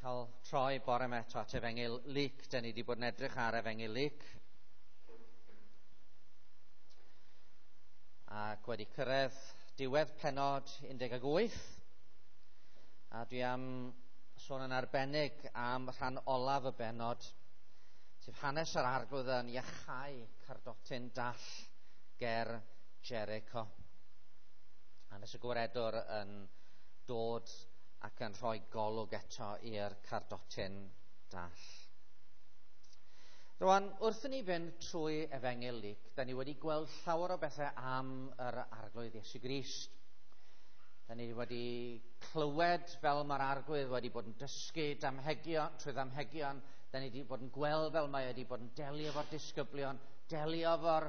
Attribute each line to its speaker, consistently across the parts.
Speaker 1: Cael troi bore yma eto at Efengyl Luc. Da ni wedi bod yn edrych ar Efengyl Luc. Ac wedi cyrraedd diwedd pennod 18. A dwi am sôn yn arbennig am rhan olaf y bennod, sef hanes yr Arglwydd yn iachau cardotyn dall ger Jericho. Hanes y gwaredwr yn dod ac yn rhoi golwg eto i'r cardotyn dall. Rwan, wrth i ni fynd trwy Efengyl Luc, da ni wedi gweld llawer o bethau am yr Arglwydd Iesu Grist. Da ni wedi clywed fel mae'r Arglwydd wedi bod yn dysgu damhegion, trwy ddamhegion. Da ni wedi bod yn gweld fel mae wedi bod yn delio efo'r disgyblion, delio efo'r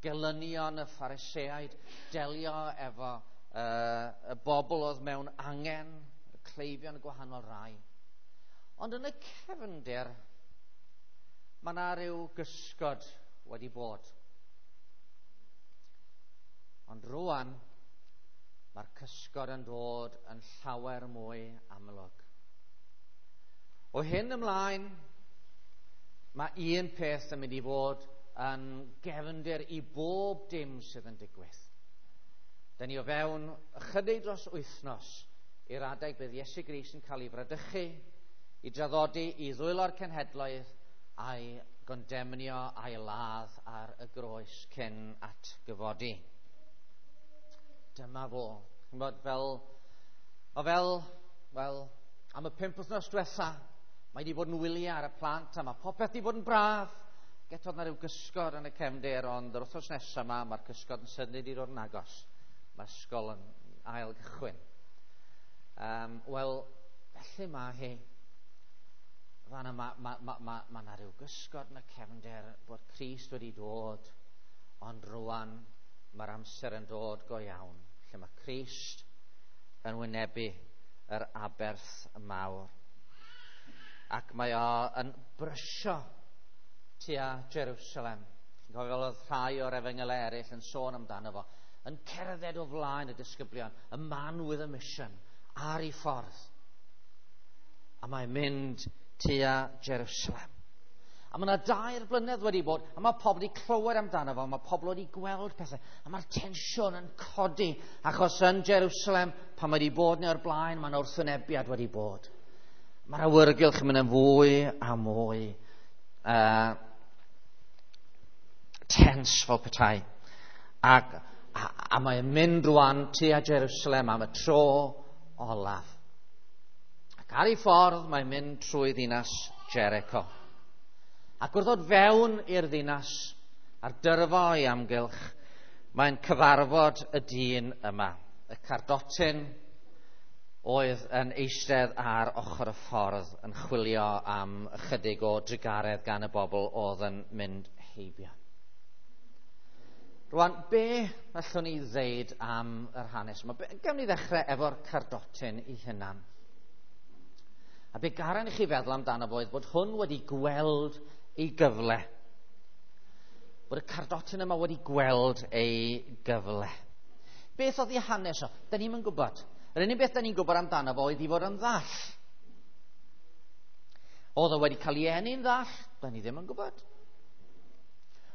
Speaker 1: gelynion y Phariseaid, delio efo y bobl oedd mewn angen, y cleifion y gwahanol rai. Ond yn y cefndir, mae yna rhyw gysgod wedi bod. Ond rwan, mae'r cysgod yn dod yn llawer mwy amlwg. O hyn ymlaen, mae un peth yn mynd i fod yn gefndir i bob dim sydd yn digwydd. Da ni o fewn ychydig dros wythnos i'r adeg bydd Iesu Grist yn cael ei fradychu, i draddodi i ddwylo'r cenhedloedd a'i gondemnio a'i ladd ar y groes cyn atgyfodi. Dyma fo. Ch'mod, fel, wel, am y 5 wythnos diwetha, mae wedi bod yn wyliau ar y plant a mae popeth wedi bod yn braf. Getodd na rhyw gysgod yn y cefndir, ond yr wythnos nesaf yma, mae'r cysgod yn sydyn wedi dod yn agos. Mae ysgol yn ail gychwyn. Wel, felly mae hi. Fan yma, ma 'na rhyw gysgod yn y cefndir bod Crist wedi dod, ond rwan mae'r amser yn dod go iawn, lle mae Crist yn wynebu yr aberth mawr. Ac mae o yn brysio tua Jerusalem. Chi'n cofio fel oedd rhai o'r efengylau eraill yn sôn amdano fo, yn cerdded o flaen y disgyblion, y man with a mission, ar ei ffordd. A mae'n mynd tua Jerusalem. A mae yna 2 blynedd wedi bod, a mae pobl wedi clywed amdano fo, mae pobl wedi gweld pethau, a mae'r tensiwn yn codi, achos yn Jerusalem, pan mae wedi bod neu o'r blaen, mae'n wrthwynebiad wedi bod. Mae'r awyrgylch yn mynd yn fwy a mwy tens fel petai. A mae'n mynd rwan tua Jerusalem am y tro olaf. Ac ar ei ffordd mae'n mynd trwy ddinas Jericho. Ac wrth ddod fewn i'r ddinas a'r dyrfa o'i amgylch, mae'n cyfarfod y dyn yma, y cardotyn oedd yn eistedd ar ochr y ffordd yn chwilio am ychydig o drugaredd gan y bobl oedd yn mynd heibio. Rwan, be allwn ni ddeud am yr hanes yma? Gawn ni ddechrau efo'r cardotyn ei hunan. A be garan i chi feddwl amdano fo oedd bod hwn wedi gweld ei gyfle. Bod y cardotyn yma wedi gweld ei gyfle. Beth oedd ei hanes o? Da ni'm yn gwybod. Yr unig beth da ni'n gwybod amdano fo oedd ei fod yn ddall. Oedd o wedi cael ei eni'n ddall? Da ni ddim yn gwybod.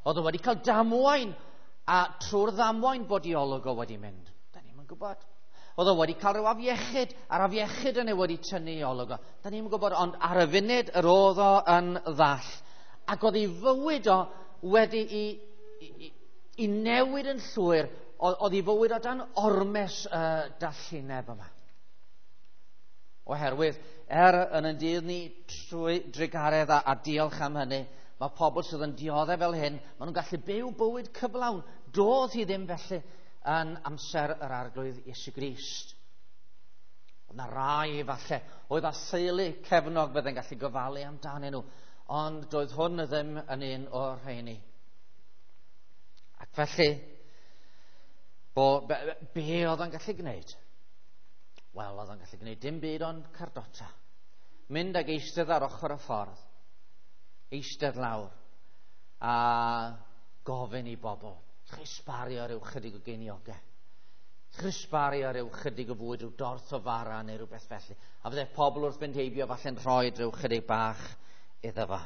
Speaker 1: Oedd o wedi cael damwain, a trwy'r ddamwain bod ei olwg o wedi mynd. Da ni'm yn gwybod. Oedd o wedi cael rhyw afiechyd, a'r afiechyd yna wedi tynnu ei olwg o. Da ni'm yn gwybod, ond ar y funud yr oedd o yn ddall. Ac oedd ei fywyd o wedi i newid yn llwyr. Oedd ei fywyd o dan ormes dallineb yma. Oherwydd, yn ein dydd ni trwy drugaredd a diolch am hynny, mae pobl sydd yn dioddef fel hyn, maen nhw'n gallu byw bywyd cyflawn. Doedd hi ddim felly yn amser yr Arglwydd Iesu Grist. Oedd 'na rai falle oedd â theulu cefnog fydde'n gallu gofalu amdanyn nhw, ond doedd hwn ddim yn un o'r rheini. Ac felly, be oedd o'n gallu gwneud? Wel, oedd o'n gallu gwneud dim byd ond cardota. Mynd ag eistedd ar ochr y ffordd, eistedd lawr, a gofyn i bobl, chi sbario rhyw chydig o geiniogau. Chrysbaru ar ryw chydig o fwyd, rhyw dorth o fara neu rhywbeth felly. A fydde pobl wrth fynd heibio falle'n rhoi rhyw chydig bach iddo fo.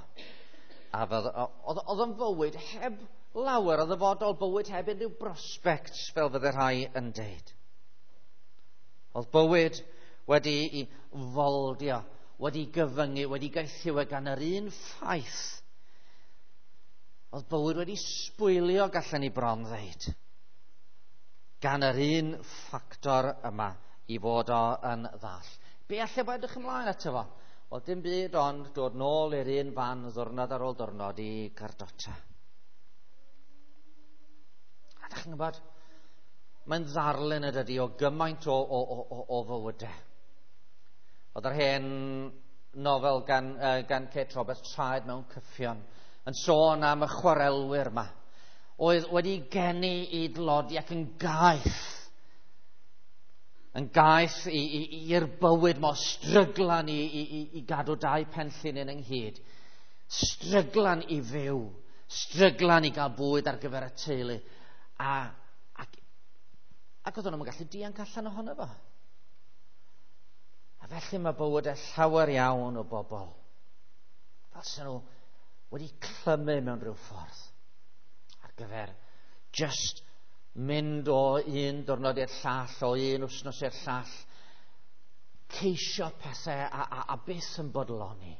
Speaker 1: A oedd o'n fywyd heb lawer o ddyfodol, bywyd heb unrhyw prospects, fel fydde rhai yn deud. Oedd bywyd wedi'i foldio, wedi gyfyngu, wedi gaethiwo gan yr un ffaith. Oedd bywyd wedi sbwylio, gallen ni bron ddeud, gan yr un ffactor yma i fod o yn ddall. Be allai fo edrych ymlaen ato fo? Wel, dim byd ond dod nôl i'r un fan ddwrnod ar ôl diwrnod i gardota. A dach chi'n gwybod, mae'n ddarlun y dydy o gymaint o fywydau. Oedd yr hen nofel gan Kate Roberts, Traed mewn Cyffion, yn sôn am y chwarelwyr yma, oedd wedi geni i dlodi ac yn gaeth. Yn gaeth i'r bywyd mor stryglan i gadw dau penllinyn ynghyd. Stryglan i fyw, stryglan i gael bwyd ar gyfer y teulu. Ac oedden nhw'n gallu dianc allan ohono fo. A felly mae bywydau llawer iawn o bobl fel sy'n nhw wedi clymu mewn rhyw ffordd ar gyfer just mynd o un diwrnod i'r llall, o un wythnos i'r llall, ceisio pethau a byth yn bodloni.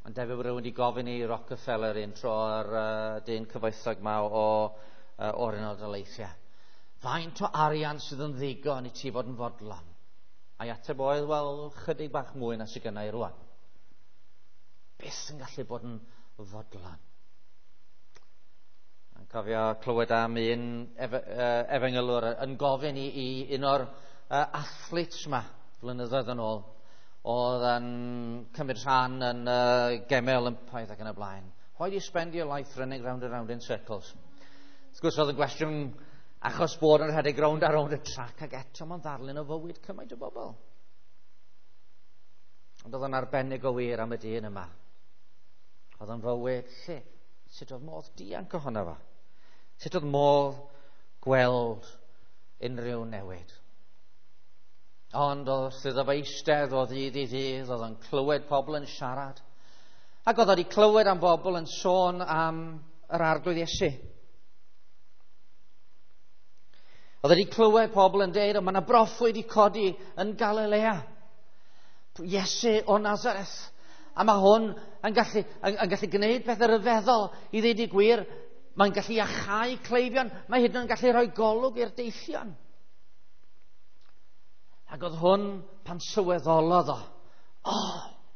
Speaker 1: Ond debyg bod rhywun wedi gofyn i Rockefeller un tro ar dyn cyfoethog ma o'r Unol Daleithiau. Faint o arian sydd yn ddigon i ti fod yn fodlon? A'i ateb oedd, wel, chydig bach mwy na sydd gynna i rwan. Byth yn gallu bod yn fodlon. Yn cofio clywed am un efengylwr yn gofyn i un o'r athletes ma flynyddoedd yn ôl, oedd yn cymryd rhan yn Gemau Olympaidd ac yn y blaen. Why do you spend your life running round and round in circles? Wrth gwrs oedd yn gwestiwn achos bod yn rhedeg rownd a rownd y trac, ac eto mae'n ddarlun o fywyd cymaint o bobl. Ond oedd yn arbennig o wir am y dyn yma. Oedd yn fywyd lle sut oedd modd dianc ohono fo? Sut oedd modd gweld unrhyw newid? Ond wrth iddo fo eistedd o ddydd i ddydd, oedd o'n clywed pobl yn siarad. Ac oedd wedi clywed am bobl yn sôn am yr Arglwydd Iesu. Oedd wedi clywed pobl yn deud, mae yna broffwyd i codi yn Galilea. Iesu o Nazareth. A mae hwn yn gallu gwneud pethau rhyfeddol i ddeud y gwir. Mae'n gallu iachau cleifion. Mae hyd yn oed yn gallu rhoi golwg i'r deillion. Ac oedd hwn pan sylweddolodd o,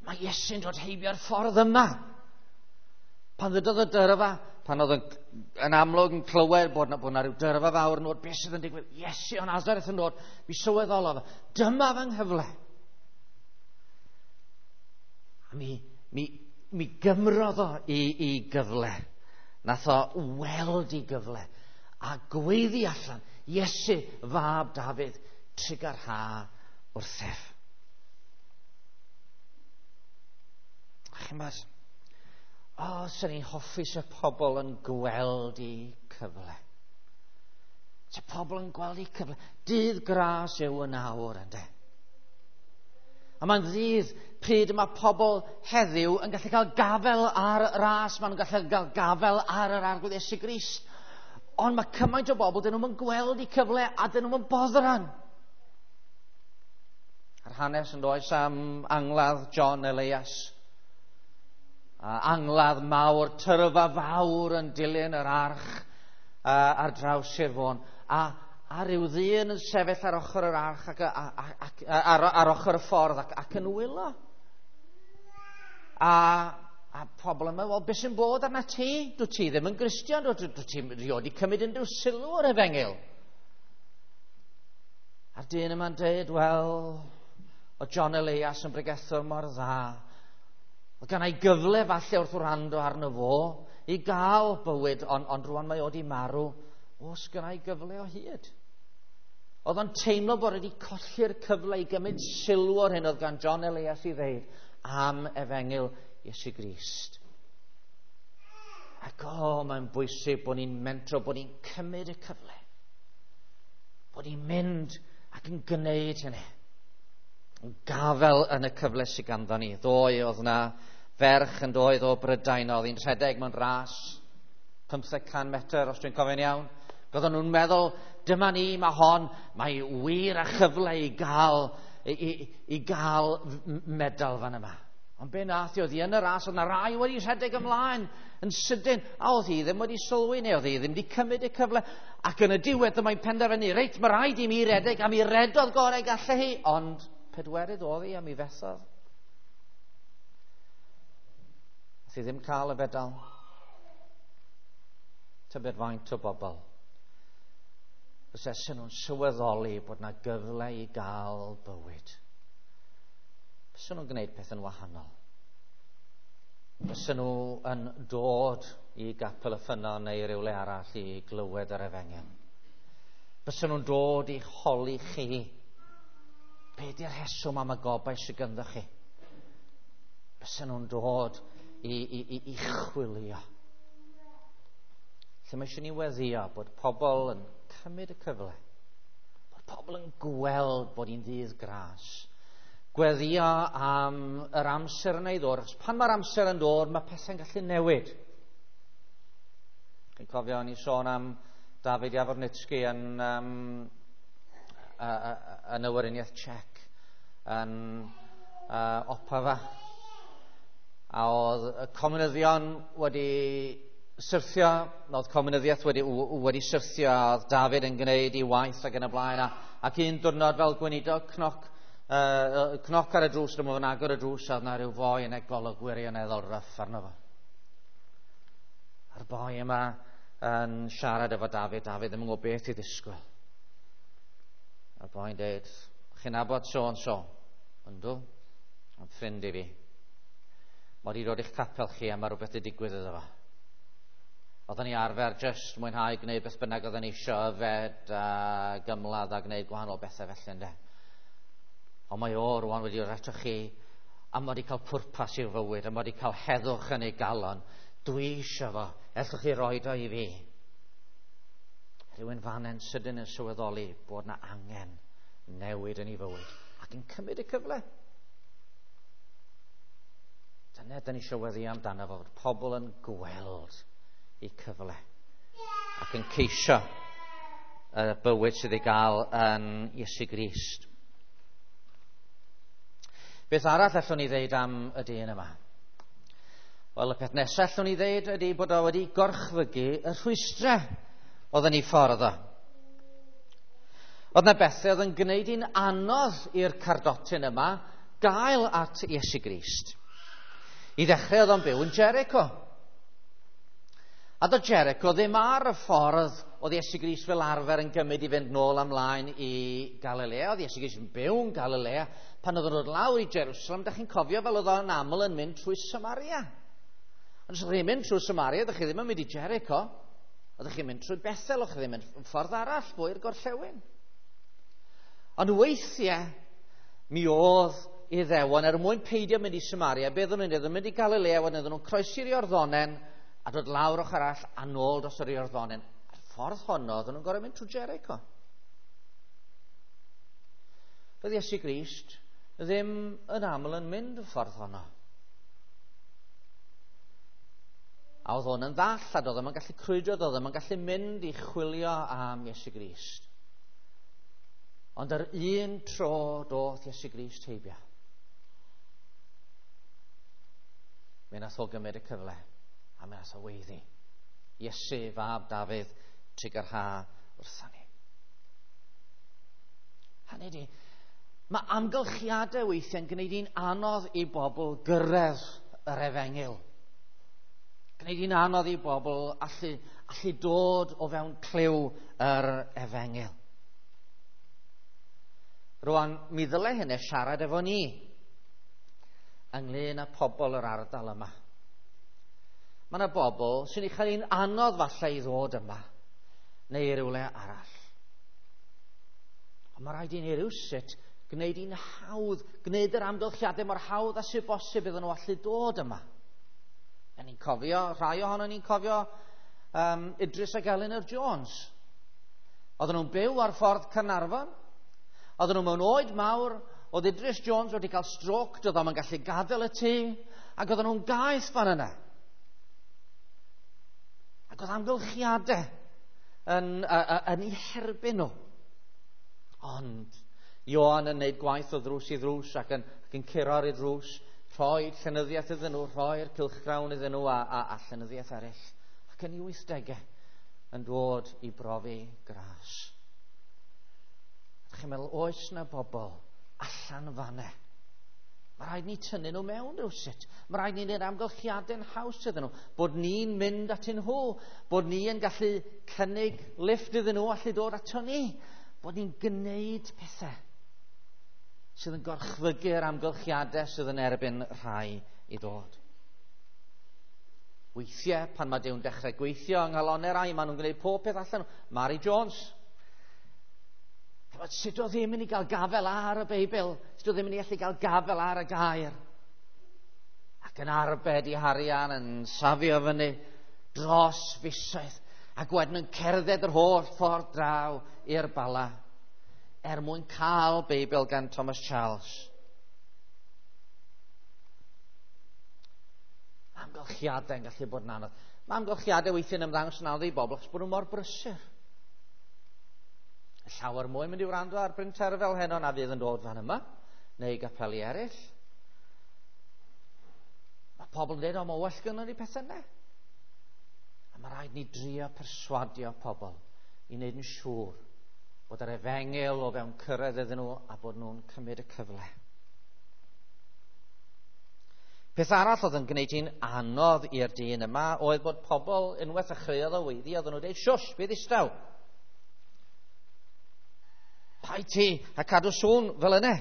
Speaker 1: mae Iesu'n dod heibio'r ffordd yma. Pan ddydodd y dyrfa, pan oedd yn amlwg yn clywed bod na rhyw dyrfa fawr yn dod, beth sydd yn digwydd? Iesu o Nazareth yn dod. Mi sylweddolodd, dyma fy nghyfle. A mi gymrodd o i gyfle. Nath o weld i gyfle a gweiddi allan, Iesu, fab Dafydd, trugarha wrthyf. Chi'n bod, sy'n ni'n hoffi se pobl yn gweld i cyfle. Se pobl yn gweld i cyfle. Dydd gras yw yn awr, ynde. A mae'n ddydd pryd mae pobl heddiw yn gallu cael gafel ar y ras, maen nhw'n gallu cael gafel ar yr Arglwydd Iesu Grist. Ond mae cymaint o bobl, dyn nhw'n gweld eu cyfle a dyn nhw'n boddran. A'r hanes yn does am angladd John Elias. A angladd mawr, tyrfa fawr yn dilyn yr arch ar draws Sir Fôn. A rhyw ddyn yn sefyll ar ochr yr arch ac ar ochr y ffordd ac yn wylo. A pobl yn meddwl, wel, beth sy'n bod arna ti? Dwi ti ddim yn Gristion, dwi ti rioed wedi cymryd unrhyw sylw o'r efengyl. A'r dyn yma'n dweud, wel, o John Elias yn bregethwr mor dda. Oedd gan ei gyfle falle wrth wrando arno fo i gael bywyd, ond rwan mae o wedi marw. Oes gan ei gyfle o hyd? Oedd o'n teimlo bod wedi colli'r cyfle i gymryd sylw o'r hyn oedd gan John Elias i ddeud am efengyl Iesu Grist. Ac mae'n bwysig bod ni'n mentro, bod ni'n cymryd y cyfle. Bod ni'n mynd ac yn gwneud hynny. Yn gafel yn y cyfle sydd ganddo ni. Ddoe oedd yna ferch yn doedd o Brydain, oedd hi'n rhedeg mewn ras 500 metr, os dwi'n cofio'n iawn. Roedden nhw'n meddwl, dyma ni, mae hon, mae wir a chyfle i gael, i gael medal fan yma. Ond be nath hi, oedd hi yn y ras, oedd na rai wedi rhedeg ymlaen yn sydyn, a oedd hi ddim wedi sylwi neu oedd hi ddim wedi cymryd y cyfle. Ac yn y diwedd dyma'n penderfynu, reit, mae rhaid i mi redeg, a mi redodd gorau gallai hi, ond pedwerydd oedd hi a mi fethodd. Nath hi ddim cael y fedal. Tybed faint o bobl fysa nhw'n sylweddoli bod na gyfle i gael bywyd. Fysa nhw'n gwneud pethau'n wahanol. Fysa nhw yn dod i Gapel y Ffynnon neu rywle arall i glywed yr efengyl. Fysa nhw'n dod i holi chi. Be di'r rheswm am y gobaith sydd ganddo chi? Fysa nhw'n dod i chwilio. Lle mae eisiau ni weddio bod pobl yn cymryd y cyfle. Bod pobl yn gweld bod hi'n ddydd gras. Gweddio am yr amser yna i ddod, achos pan mae'r amser yn dod, mae pethau'n gallu newid. Chi'n cofio, o'n i sôn am David Javornitsky yn y Weriniaeth Czech, yn Opava. A oedd y comunyddion wedi syrthio, oedd comunyddiaeth wedi syrthio, a oedd David yn gwneud ei waith ac yn y blaen, ac un diwrnod fel gweinidog, cnoc ar y drws, dyma fo'n agor y drws, a oedd na rhyw foi yn ei golwg wirioneddol ryff arno fo. A'r boi yma yn siarad efo David, David ddim yn gwybod beth i ddisgwyl. A'r boi'n dweud, chi'n nabod so and so? Yndw, yn ffrind i fi. Mae wedi dod i'ch capel chi a mae rhywbeth wedi digwydd iddo fo. Oedden ni arfer jyst mwynhau gwneud beth bynnag oedden ni isio, yfed a gymladd a gwneud gwahanol bethau felly, ynde. Ond mae o rwan wedi dod ato chi a mae wedi cael pwrpas i'w fywyd a mae wedi cael heddwch yn ei galon. Dwi eisiau fo, ellwch chi roed o i fi. Rhywun fan yn sydyn yn sylweddoli bod na angen newid yn ei fywyd ac yn cymryd y cyfle. Dyna dyn ni eisiau weddio amdano fo, fod pobl yn gweld eu cyfle ac yn ceisio y bywyd sydd ei gael yn Iesu Grist. Beth arall allwn ni ddeud am y dyn yma? Wel, y peth nesaf allwn ni ddeud ydy bod o wedi gorchfygu y rhwystrau oedd yn ei ffordd o. Oedd yna bethau oedd yn gwneud hi'n anodd i'r cardotyn yma gael at Iesu Grist. I ddechrau oedd o'n byw yn Jericho. A doedd Jericho ddim ar y ffordd oedd Iesu Grist fel arfer yn gymryd i fynd nôl ymlaen i Galilea. Oedd Iesu Grist yn byw yn Galilea. Pan oedd o'n dod lawr i Jerusalem, da chi'n cofio fel oedd o'n aml yn mynd trwy Samaria. Ond os ydych chi'n mynd trwy Samaria, ydych chi ddim yn mynd i Jericho. Ydych chi'n mynd trwy Bethel, ydych chi ddim yn ffordd arall, fwy i'r gorllewin. Ond weithiau, mi oedd Iddewon, er mwyn peidio mynd i Samaria, beth oedden nhw'n mynd? Mynd i Galilea, wedyn oedden nhw'n croesi'r Iorddonen a dod lawr ochr arall a nôl dros yr Iorddonen. A'r ffordd honno, oedden nhw'n gorfod mynd trwy Jericho. Doedd Iesu Grist ddim yn aml yn mynd y ffordd honno. A oedd hwn yn ddall, a doedd ddim yn gallu crwydro, doedd ddim yn gallu mynd i chwilio am Iesu Grist. Ond yr un tro doth Iesu Grist heibio. Mi nath o gymryd y cyfle, a mi nath o weiddi. Iesu, fab Dafydd, trugarha wrtha ni. Hynny ydi, mae amgylchiadau weithiau'n gwneud hi'n anodd i bobl gyrraedd yr efengyl. Gwneud hi'n anodd i bobl allu dod o fewn clyw yr efengyl. Rwan, mi ddyle hynny siarad efo ni ynglyn â pobl yr ardal yma. Mae yna bobl sy'n ei chael hi'n anodd falle i ddod yma neu i rywle arall. Ond mae rhaid i ni rywsut gwneud hi'n hawdd, gwneud yr amgylchiadau mor hawdd â sydd bosib iddyn nhw allu dod yma. Da ni'n cofio, rhai ohono ni'n cofio Idris ac Eleanor Jones. Oedden nhw'n byw ar ffordd Caernarfon. Oedden nhw mewn oed mawr. Oedd Idris Jones wedi cael stroke, doedd o'm yn gallu gadael y tŷ, ac oedden nhw'n gaeth fan yna. Ac oedd amgylchiadau yn eu herbyn nhw. Ond Ioan yn gwneud gwaith o ddrws i ddrws ac yn curo ar ei ddrws, rhoi llenyddiaeth iddyn nhw, rhoi'r cylchgrawn iddyn nhw a llenyddiaeth eraill. Ac yn ei 80au yn dod i brofi gras. Chi'n meddwl, oes na bobl allan fanne? Mae rhaid ni tynnu nhw mewn rhywsut. Mae rhaid ni wneud amgylchiadau'n haws iddyn nhw. Bod ni'n mynd atyn nhw. Bod ni yn gallu cynnig lift iddyn nhw allu dod ato ni. Bod ni'n gwneud pethau sydd yn gorchfygu'r amgylchiadau sydd yn erbyn rhai i ddod. Weithiau, pan mae Duw'n dechrau gweithio yng nghalonnau rai, maen nhw'n gwneud pob peth allan. Mary Jones. Sut oedd ddim yn ei gael gafel ar y Beibl? Sut oedd ddim yn ei allu gael gafel ar y gair? Ac yn arbed i harian, yn safio fyny dros fisoedd, ac wedyn yn cerdded yr holl ffordd draw i'r Bala er mwyn cael Beibl gan Thomas Charles. Mae amgylchiadau yn gallu bod yn anodd. Mae amgylchiadau weithiau'n ymddangos yn anodd i bobl achos bod nhw mor brysur. Llawer mwy mynd i wrando ar Bryn Terfel heno na fydd yn dod fan yma, neu gapeli eraill. Mae pobl yn dweud, o, mae well gynnon ni pethau yna. A mae rhaid ni drio perswadio pobl i wneud yn siŵr bod yr efengyl o fewn cyrraedd iddyn nhw a bod nhw'n cymryd y cyfle. Peth arall oedd yn gwneud hi'n anodd i'r dyn yma oedd bod pobl unwaith ddechreuodd o weiddi, oedden nhw'n dweud, siwsh, bydd ddistaw. Paid ti a cadw sŵn fel yna.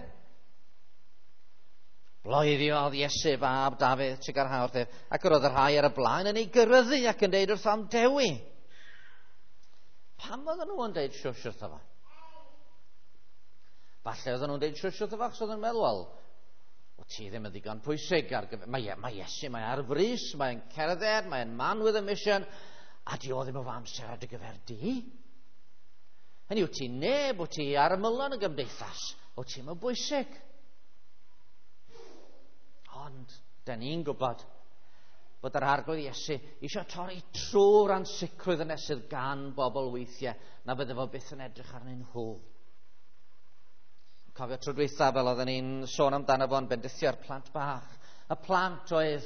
Speaker 1: Bloeddiodd Iesu fab Dafydd trugarha wrthyf, ac yr oedd y rhai ar y blaen yn ei gyryddu ac yn deud wrtho am dewi. Pam oedden nhw yn deud siwsh wrtho fo? Falle oedden nhw'n deud siwsh wrtho fo achos oedden nhw'n meddwl, wel, o ti ddim yn ddigon pwysig ar gyfer... Mae Iesu, mae ar frys, mae'n cerdded, mae'n man with a mission, a di o ddim efo amser ar dy gyfer di. Hynny yw, ti neb, wyt ti ar ymylon y gymdeithas, wyt ti'n mynd bwysig. Ond, da ni'n gwybod bod yr Arglwydd Iesu eisiau torri trwy'r ansicrwydd yna sydd gan bobl weithiau na bydde fo byth yn edrych arnyn nhw. Cofio tro dwytha fel oedden ni'n sôn amdano fo'n bendithio'r plant bach. Y plant oedd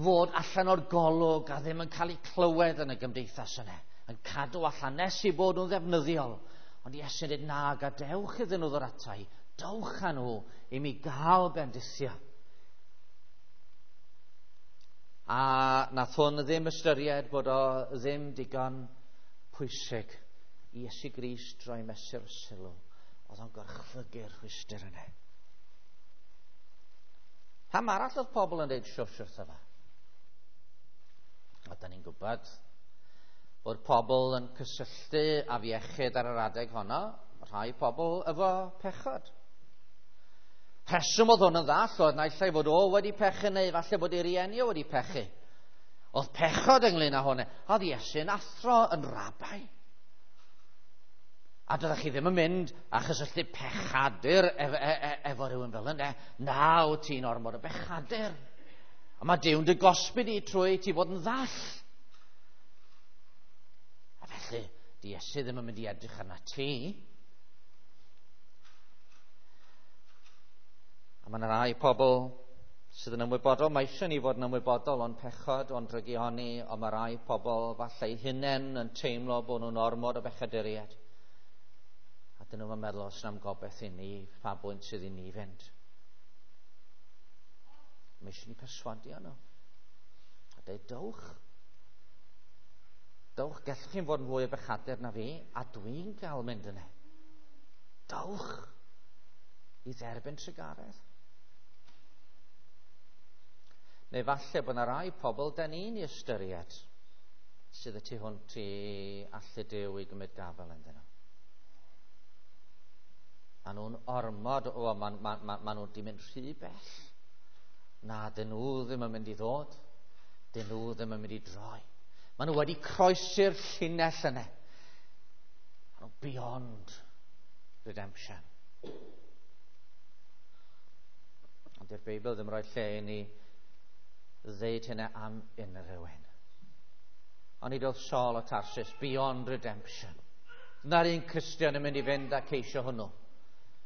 Speaker 1: fod allan o'r golwg a ddim yn cael eu clywed yn y gymdeithas yna, yn cadw allan nes i bod nhw'n ddefnyddiol. Ond Iesu'n dweud, na, gadewch iddyn nhw ddod ata i, dowch â nhw i mi gael bendithio. A nath hwn ddim ystyried bod o ddim digon pwysig i Iesu Grist roi mesur sylw. Oedd o'n gorchfygu'r rhwystr yna. Pam arall oedd pobl yn dweud siwsh wrtho fo? A da ni'n gwybod bod pobl yn cysylltu afiechyd ar yr adeg honno, rhai pobl efo pechod. Rheswm oedd hwn yn ddall oedd naill ai fod o wedi pechu neu falle bod ei rieni o wedi pechu. Oedd pechod ynglyn â hwnna. Oedd Iesu'n athro yn rabai. A doeddech chi ddim yn mynd a chysylltu pechadur efo rhywun fel yna. Na, wyt ti'n ormod o bechadur. A mae Duw'n dy gosbi di trwy ti fod yn ddall. A felly, di Iesu ddim yn mynd i edrych arna ti. A mae yna rai pobl sydd yn ymwybodol, mae eisiau ni fod yn ymwybodol o'n pechod, o'n drygioni, ond mae rai pobl falle eu hunain yn teimlo bod nhw'n ormod o bechaduriaid. A dyn nhw'n meddwl, os na'm gobeith i ni, pa bwynt sydd i ni fynd. Mae eisiau ni perswadio nhw. A dweud, dowch. Dowch, gallwch chi'n fod yn fwy o bechadur na fi, a dwi'n gael mynd yna. Dowch i dderbyn trugaredd. Neu falle bod yna rai pobl da ni'n ei ystyried sydd y tu hwnt i allu Duw i gymryd gafel ynddyn nhw. Maen nhw'n ormod, maen nhw wedi mynd rhy bell. Na, dyn nhw ddim yn mynd i ddod. Dyn nhw ddim yn mynd i droi. Maen nhw wedi croesi'r llinell yna. Nhw beyond redemption. Ond di'r Beibl ddim rhoi lle i ni ddeud hynna am unrhyw un. Ond nid oedd Saul o Tarsus beyond redemption. Na'r un Cristion yn mynd i fynd a ceisio hwnnw.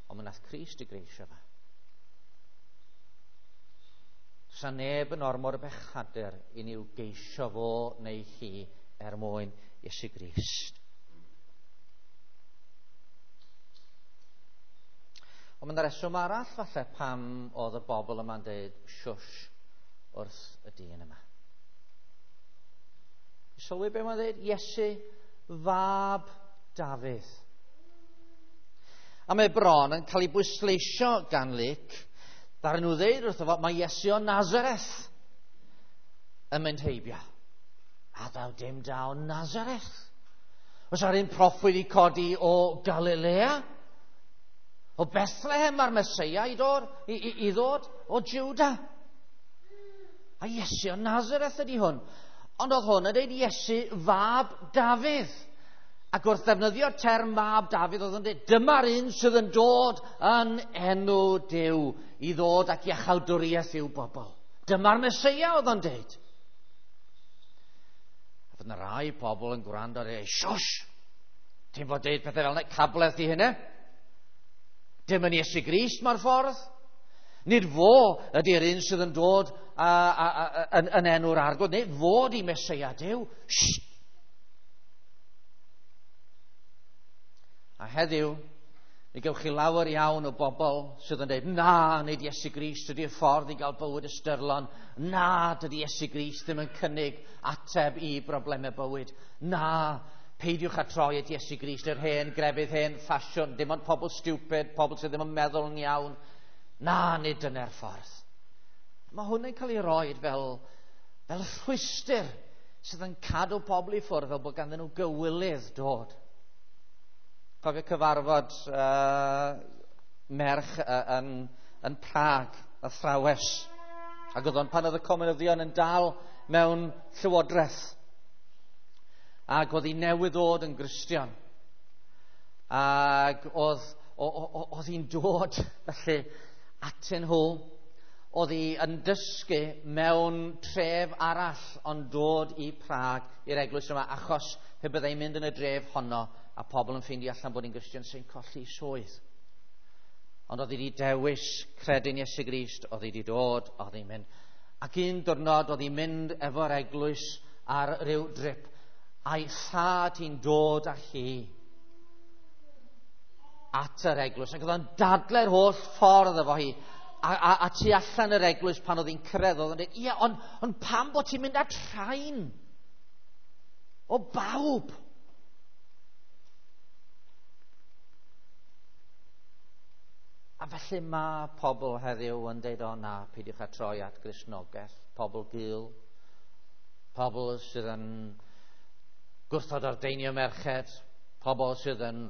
Speaker 1: Ond mae nath Crist i greisio fe. Sa neb yn ormod o bechadur i ni i'w geisio fo neu hi er mwyn Iesu Grist. Ond mae'n reswm arall falle pam oedd y bobl yma'n dweud shush wrth y dyn yma. Sylwi be mae'n dweud? Iesu, fab Dafydd. A mae bron yn cael ei bwysleisio gan Luc. Ddaru nhw ddeud wrtho fo, mae Iesu o Nazareth yn mynd heibio. A ddaw dim da o Nazareth. Oes ar un proffwyd i codi o Galilea? O Bethlehem mae'r Meseia i ddod, i ddod o Juda. A Iesu o Nazareth ydy hwn. Ond oedd hwn yn dweud Iesu fab Dafydd. Ac wrth ddefnyddio'r term mab Dafydd, oedd yn dweud, dyma'r un sydd yn dod yn enw Duw i ddod ac iachawdwriaeth i'w bobl. Dyma'r Meseia, oedd o'n dweud. A fydd yna rai pobl yn gwrando ar ei, shush, ti'n fod dweud pethau fel yna, cabledd di hynny. Dim yn Iesu Grist mae'r ffordd. Nid fo ydy'r un sydd yn dod yn enw'r Arglwydd, nid fo di Meseia Duw. Shh! A heddiw, mi gewch chi lawer iawn o bobl sydd yn dweud, na, nid Iesu Grist ydy'r ffordd i gael bywyd ystyrlon. Na, dydy Iesu Grist ddim yn cynnig ateb i broblemau bywyd. Na, peidiwch â troi at Iesu Grist, yr hen grefydd, hen ffasiwn, dim ond pobl stupid, pobl sydd ddim yn meddwl yn iawn. Na, nid dyna'r ffordd. Mae hwn yn cael ei roed fel rhwystr sydd yn cadw pobl i ffwrdd fel bod ganddyn nhw gywilydd dod. Cofio cyfarfod merch yn Prag, athrawes. Ac oedd o'n pan oedd y comunyddion yn dal mewn llywodraeth. Ac oedd hi newydd ddod yn Gristion. Ac oedd hi'n dod felly atyn nhw. Oedd hi yn dysgu mewn tref arall ond dod i Prag i'r eglwys yma, achos pe byddai'n mynd yn y dref honno a pobl yn ffeindio allan bod hi'n Gristion sy'n colli swydd. Ond oedd hi wedi dewis credu'n Iesu Grist, oedd hi wedi dod, oedd hi'n mynd. Ac un diwrnod oedd hi'n mynd efo'r eglwys ar ryw drip, a'i thad hi'n dod â hi at yr eglwys. Ac oedd o'n dadlau'r holl ffordd efo hi. A tu allan yr eglwys pan oedd hi'n cyrraedd, oedd o'n dweud, ie, ond pam bod ti'n mynd at rhain? O bawb! A felly mae pobl heddiw yn dweud, o na, peidiwch â troi at Gristnogaeth, pobl gul, pobl sydd yn gwrthod ordeinio merched, pobl sydd yn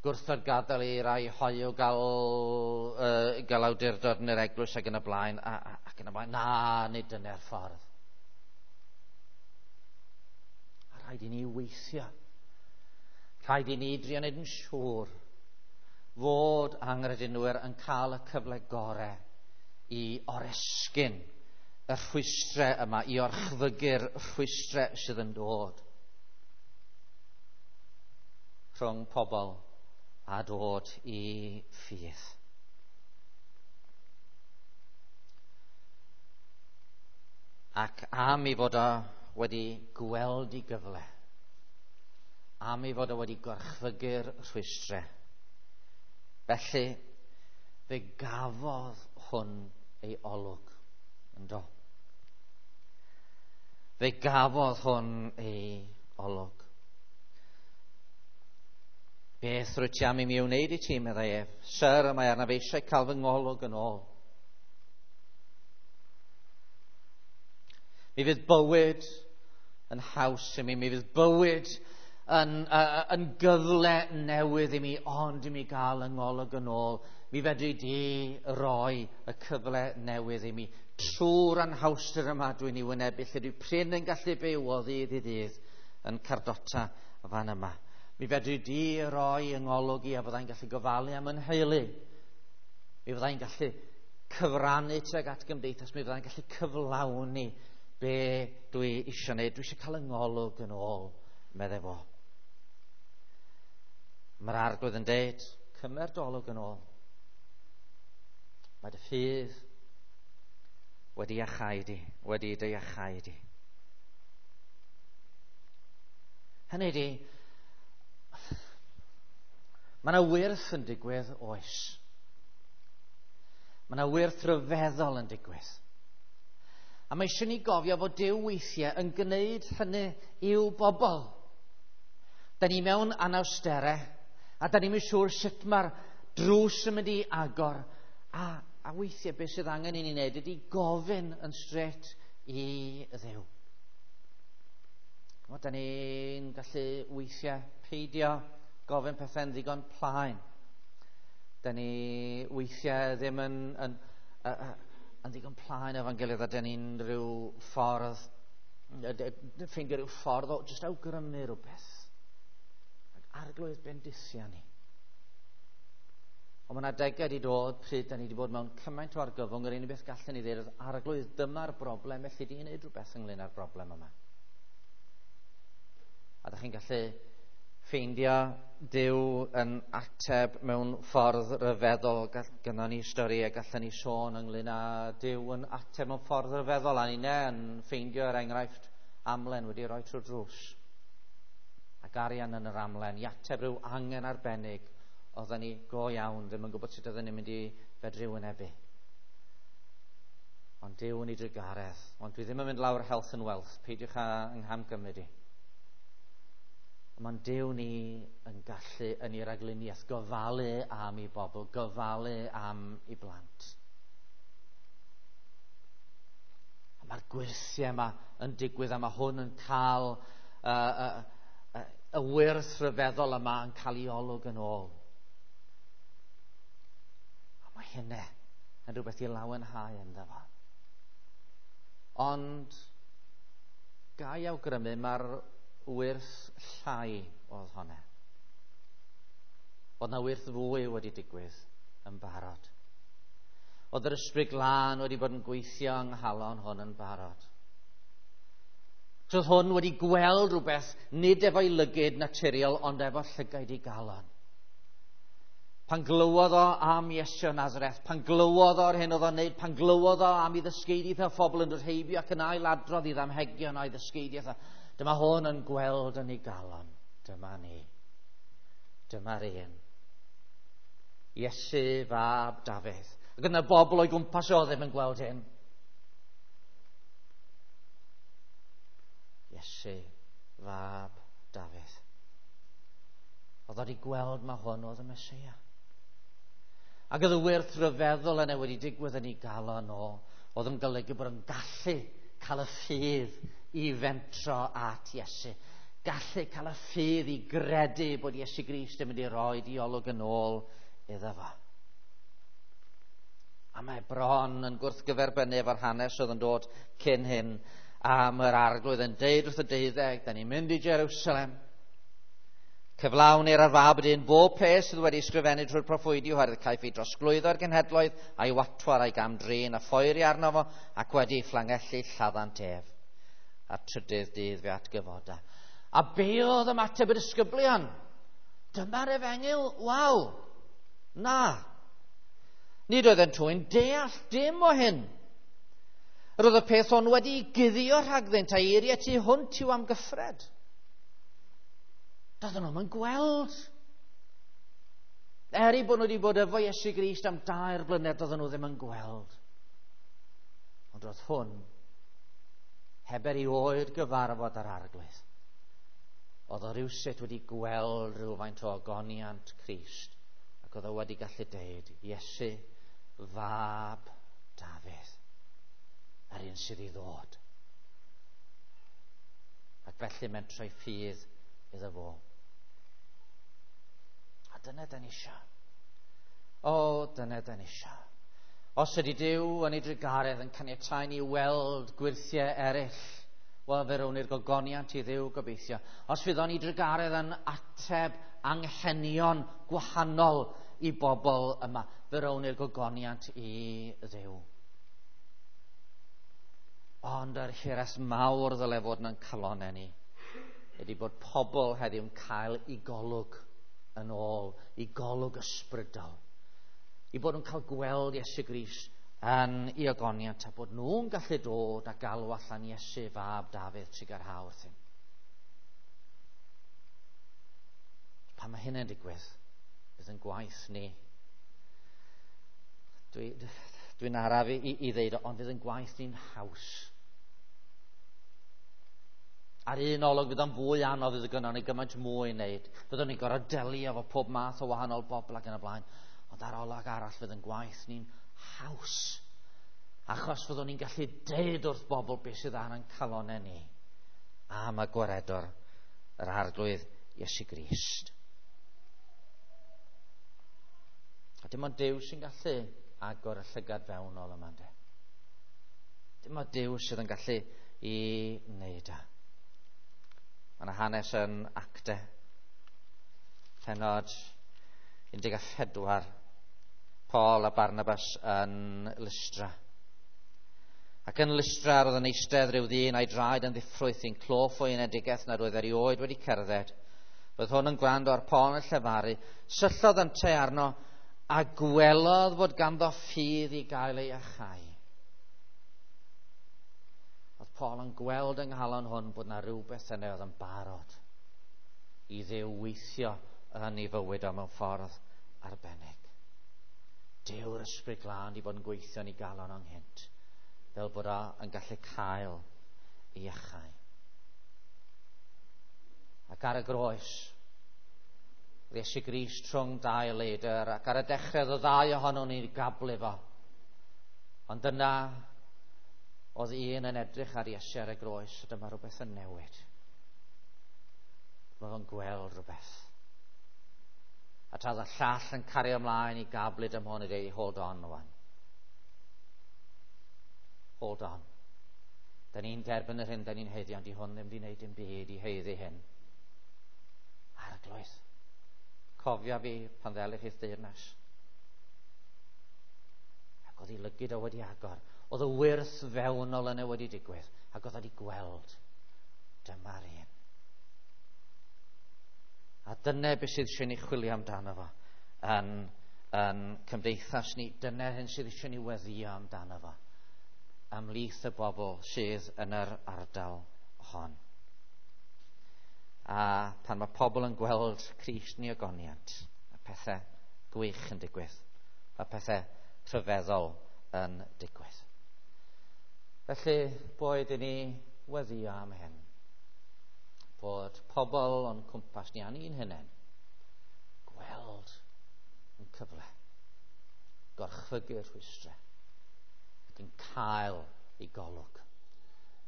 Speaker 1: gwrthod gadael i rai hoyw gael awdurdod yn yr eglwys ac yn y blaen, ac yn y blaen. Na, nid dyna'r ffordd. A rhaid i ni weithio. Rhaid i ni drio wneud yn siŵr fod anghredinwyr yn cael y cyfle gorau i oresgyn y rhwystrau yma, i orchfygu'r rhwystrau sydd yn dod rhwng pobl a dod i ffydd. Ac am ei fod o wedi gweld ei gyfle, am ei fod o wedi gorchfygu'r rhwystrau, felly fe gafodd hwn ei olwg, yndo? Fe gafodd hwn ei olwg. Beth rwyt ti am i mi wneud i ti, meddai ef. Syr, mae arnaf eisiau cael fy ngolwg yn ôl. Mi fydd bywyd yn haws i mi, mi fydd bywyd yn gyfle newydd i mi, ond i mi gael yng ngolwg yn ôl. Mi fedri di roi y cyfle newydd i mi. Trwy'r anhawster yma dwi'n ei wynebu, lle dwi prin yn gallu byw o ddydd i ddydd yn cardota fan yma. Mi fedri di roi yng ngolwg i a fyddai'n gallu gofalu am yn nheulu. Mi fyddai'n gallu cyfrannu tuag at gymdeithas. Mi fyddai'n gallu cyflawni be dwi eisiau gwneud. Dwi eisiau cael yng ngolwg yn ôl, meddai fo. Mae'r Arglwydd yn deud, cymer dy olwg yn ôl. Mae dy ffydd wedi iachau di, wedi dy iachau di. Hynny di, mae yna wyrth yn digwydd, oes. Mae yna wyrth rhyfeddol yn digwydd. A mae eisiau ni gofio fod Duw weithiau yn gwneud hynny i'w bobl. Da ni mewn anawsterau, a da ni'n siŵr sut mae'r drws yn mynd i agor. A weithiau beth sydd angen i ni wneud ydy gofyn yn straight i Dduw. Da ni'n gallu weithiau peidio gofyn pethau'n ddigon plaen. Da ni weithiau ddim yn ddigon plaen efo'n gilydd, a da ni'n rhyw ffordd, ffeindio rhyw ffordd o jyst awgrymu rhywbeth. Ac Arglwydd bendithia ni. Ond mae yna adegau wedi dod pryd da ni wedi bod mewn cymaint o argyfwng, yr unig beth gallen ni ddweud oedd, Arglwydd, dyma'r broblem, felly di wneud rhywbeth ynglyn â'r broblem yma. A da chi'n gallu ffeindio Duw yn ateb mewn ffordd ryfeddol. Gynnon ni stori a gallen ni sôn ynglyn â Duw yn ateb mewn ffordd ryfeddol, a ni'n yn ffeindio er enghraifft amlen wedi rhoi trwy'r drws. Ac arian yn yr amlen i ateb rhyw angen arbennig oedden ni go iawn ddim yn gwybod sut oedden ni'n mynd i fedru wynebu. Ond Duw yn ei drugaredd. Ond dwi ddim yn mynd lawr health and wealth. Peidiwch â nghamgymryd i. Mae'n Duw ni yn gallu yn ei ragluniaeth gofalu am ei bobl, gofalu am ei blant. A mae'r gwyrthiau yma yn digwydd, a mae hwn yn cael y wyrth rhyfeddol yma yn cael ei olwg yn ôl. A mae hynny yn rhywbeth i lawenhau ynddo fo. Ond ga i awgrymu mae'r wyrth llai oedd hwnna. Oedd na wyrth fwy wedi digwydd yn barod. Oedd yr Ysbryd Glân wedi bod yn gweithio yng nghalon hwn yn barod. So oedd hwn wedi gweld rhywbeth nid efo'i lygyd naturiol, ond efo llygaid ei galon. Pan glywodd o am Iesu o Nazareth, pan glywodd o'r hyn oedd o'n wneud, pan glywodd o am ei ddysgeidiaeth a phobl yn dod heibio ac yn ailadrodd i ddamhegion o'i ddysgeidiaeth, dyma hwn yn gweld yn ei galon. Dyma ni. Dyma'r un. Iesu fab Dafydd. Ac yna bobl o'i gwmpas o ddim yn gweld hyn. Iesu fab Dafydd. Oedd wedi gweld ma hwn oedd y Meseia. Ac oedd y wyrth rhyfeddol yna wedi digwydd yn ei galon o. Oedd yn golygu bod yn gallu cael y ffydd i fentro at Iesu. Gallu cael y ffydd i gredu bod Iesu Grist yn mynd i roi diolwg yn ôl iddo fo. A mae bron yn gwrthgyferbynnu efo'r hanes oedd yn dod cyn hyn. A mae'r Arglwydd yn deud wrth y deuddeg, da ni'n mynd i Jerusalem. Cyflawnir ar fab y dyn bob peth sydd wedi ysgrifennu trwy'r proffwydi, oherwydd caiff ei drosglwyddo i'r genhedloedd a'i watwar a'i gam-drin a phoeri arno fo, ac wedi fflangellu lladdant ef. A'r trydydd dydd fe atgyfoda. A be oedd ymateb y disgyblion? Dyma'r efengyl, waw! Na! Nid oedden nhw'n deall dim o hyn. Yr oedd y peth hwn wedi guddio rhagddynt a eiriau tu hwnt i'w amgyffred. Doedden nhw'm yn gweld. Er eu bod nhw wedi bod efo Iesu Grist am 3 blynedd, doedden nhw ddim yn gweld. Ond roedd hwn heb erioed gyfarfod â'r Arglwydd. Oedd o rywsut wedi gweld rhywfaint o ogoniant Crist, ac oedd o wedi gallu deud, Iesu, fab Dafydd, yr un sydd i ddod. Ac felly mentrau ffydd iddo fo. A dyna da ni isio. O, dyna da ni isio. Os ydy Duw yn ei drugaredd yn caniatáu ni weld gwyrthiau eraill, Wel, fe rown ni'r gogoniant i Dduw gobeithio. Os fyddwn ni drugaredd yn ateb anghenion gwahanol i bobl yma, fe rown ni'r gogoniant i Dduw. Ond yr hiraeth mawr ddyle fod yn calonnau ni ydy bod pobl heddiw'n cael eu golwg yn ôl, eu golwg ysbrydol. I bod nhw'n cael gweld Iesu Grist yn ei ogoniant a bod nhw'n gallu dod a galw allan Iesu fab Dafydd trugarha wrthym. Pan mae hynny'n digwydd, bydd yn gwaith ni. Dwi'n araf i ddeud, ond fydd yn gwaith ni'n haws. Ar un olwg fydd o'n fwy anodd fydd gynnon ni gymaint mwy i wneud. Fyddwn ni'n gorfod delio efo pob math o wahanol bobl ac yn y blaen. Ond ar olwg arall fydd yn gwaith ni'n haws. Achos fyddwn ni'n gallu deud wrth bobl beth sydd ar ein calonnau ni am y gwaredwr, yr Arglwydd Iesu Grist. A dim ond Duw sy'n gallu agor y llygad fewnol yma, ynde. Dim ond Duw sydd yn gallu i wneud e. Mae yna hanes yn Acte, pennod 14, Paul a Barnabas yn Lystra. Ac yn Lystra roedd yn eistedd rhyw ddyn a'i draed yn ddiffrwyth i'n cloff o'i enedigaeth nad oedd erioed wedi cerdded. Roedd hwn yn gwrando ar Paul yn llefaru, syllodd yntau arno a gwelodd fod ganddo ffydd i gael ei iachau. Oedd Paul yn gweld yng nghalon hwn bod na rhywbeth yna oedd yn barod i Dduw weithio yn ei fywyd o mewn ffordd arbennig. Dyw'r Ysbryd Glân wedi bod yn gweithio yn ei galon o'n nghynt, fel bod o yn gallu cael ei iachau. Ac ar y groes, Iesu Grist rhwng dau leidr, ac ar y dechrau oedd y ddau ohonon ni'n gablu fo. Ond dyna oedd un yn edrych ar Iesu ar y groes, a dyma rhywbeth yn newid. Mae fo'n gweld rhywbeth. A tra oedd y llall yn cario ymlaen i gablu dyma hwn i dweud, hold on, wan. Hold on. Da ni'n derbyn yr hyn da ni'n haeddu, ond di hwn ddim wedi gwneud dim byd i haeddu hyn. Arglwydd, cofia fi pan ddelych i'th deyrnas. Ac oedd ei lygid o wedi agor. Oedd y wyrth fewnol yna wedi digwydd. Ac oedd wedi gweld. Dyma'r un. A dyna beth sydd eisiau ni chwilio amdano fo yn cymdeithas ni. Dyna'r hyn sydd eisiau ni weddio amdano fo ymhlith y bobl sydd yn yr ardal hon. A pan mae pobl yn gweld Crist yn ei ogoniant, mae pethau gwych yn digwydd. Mae pethau rhyfeddol yn digwydd. Felly, boed i ni weddio am hyn. Bod pobl o'n cwmpas ni a ni'n hunain gweld yn cyfle, gorchfygu'r rhwystrau ac yn cael ei golwg.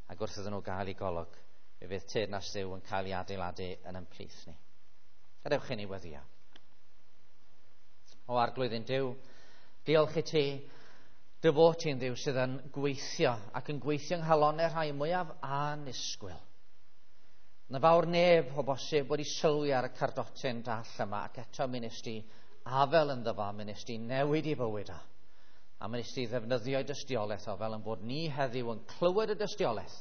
Speaker 1: Ac wrth iddyn nhw gael ei golwg, fe fydd teyrnas Dduw yn cael ei adeiladu yn ymplith ni. Gadewch i ni weddio. O Arglwydd ein Duw, diolch i ti dy fod ti'n Dduw sydd yn gweithio ac yn gweithio yng nghalonnau rhai mwyaf annisgwyl. Na fawr neb o bosib wedi sylwi ar y cardotyn dall yma, ac eto mi nes di afel ynddo fo, mi nes di newid i fywyd o. A mi nes di ddefnyddio ei dystiolaeth o fel yn bod ni heddiw yn clywed y dystiolaeth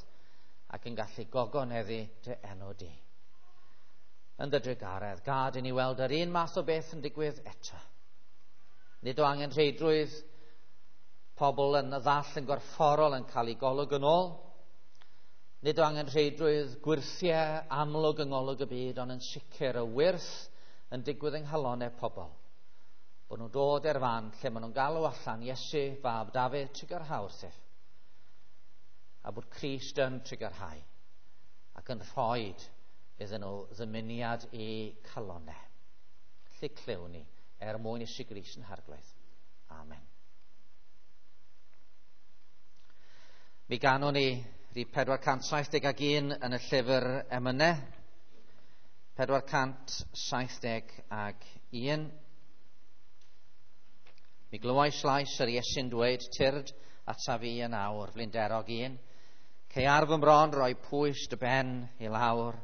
Speaker 1: ac yn gallu gogoneddu dy enw di. Yn dy drugaredd, gad i ni weld yr un math o beth yn digwydd eto. Nid o angenrheidrwydd pobl yn y ddall yn gorfforol yn cael eu golwg yn ôl. Nid o angenrheidrwydd gwyrthiau amlwg yng ngolwg y byd, ond yn sicr y wyrth yn digwydd yng nghalonnau pobl. Bod nhw'n dod i'r fan lle maen nhw'n galw allan Iesu, fab Dafydd, trugarha wrthyf. A bod Crist yn trugarhau ac yn rhoi iddyn nhw ddymuniad i calonnau. Felly clywn ni er mwyn Iesu Grist yn Harglwydd. Amen. Mi ganwn ni rhif 471 yn y llyfr emynau. 471. Mi glywais lais yr Iesu'n dweud, tyrd ataf fi yn awr, flinderog un. Lle ar fy mron roi pwys dy ben i lawr,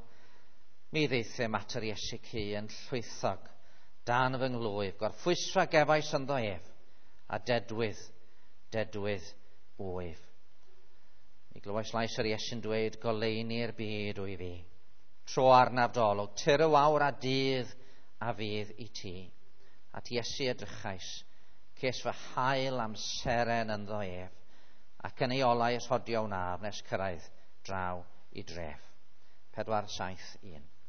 Speaker 1: mi ddeithum at yr Iesu cu yn llwythog dan fy nglwyf, gorffwysfa gefais ynddo ef, a dedwydd, dedwydd wyf. Mi glywais lais yr Iesu'n dweud, goleuni'r byd wyf fi. Tro arnaf dolwg, tyr y wawr a dydd a fydd i ti. At Iesu edrychais, ces fy hael am seren ynddo ef, ac yn ei olau rhodio wnaf nes cyrraedd draw i dref. 4, 7, 1.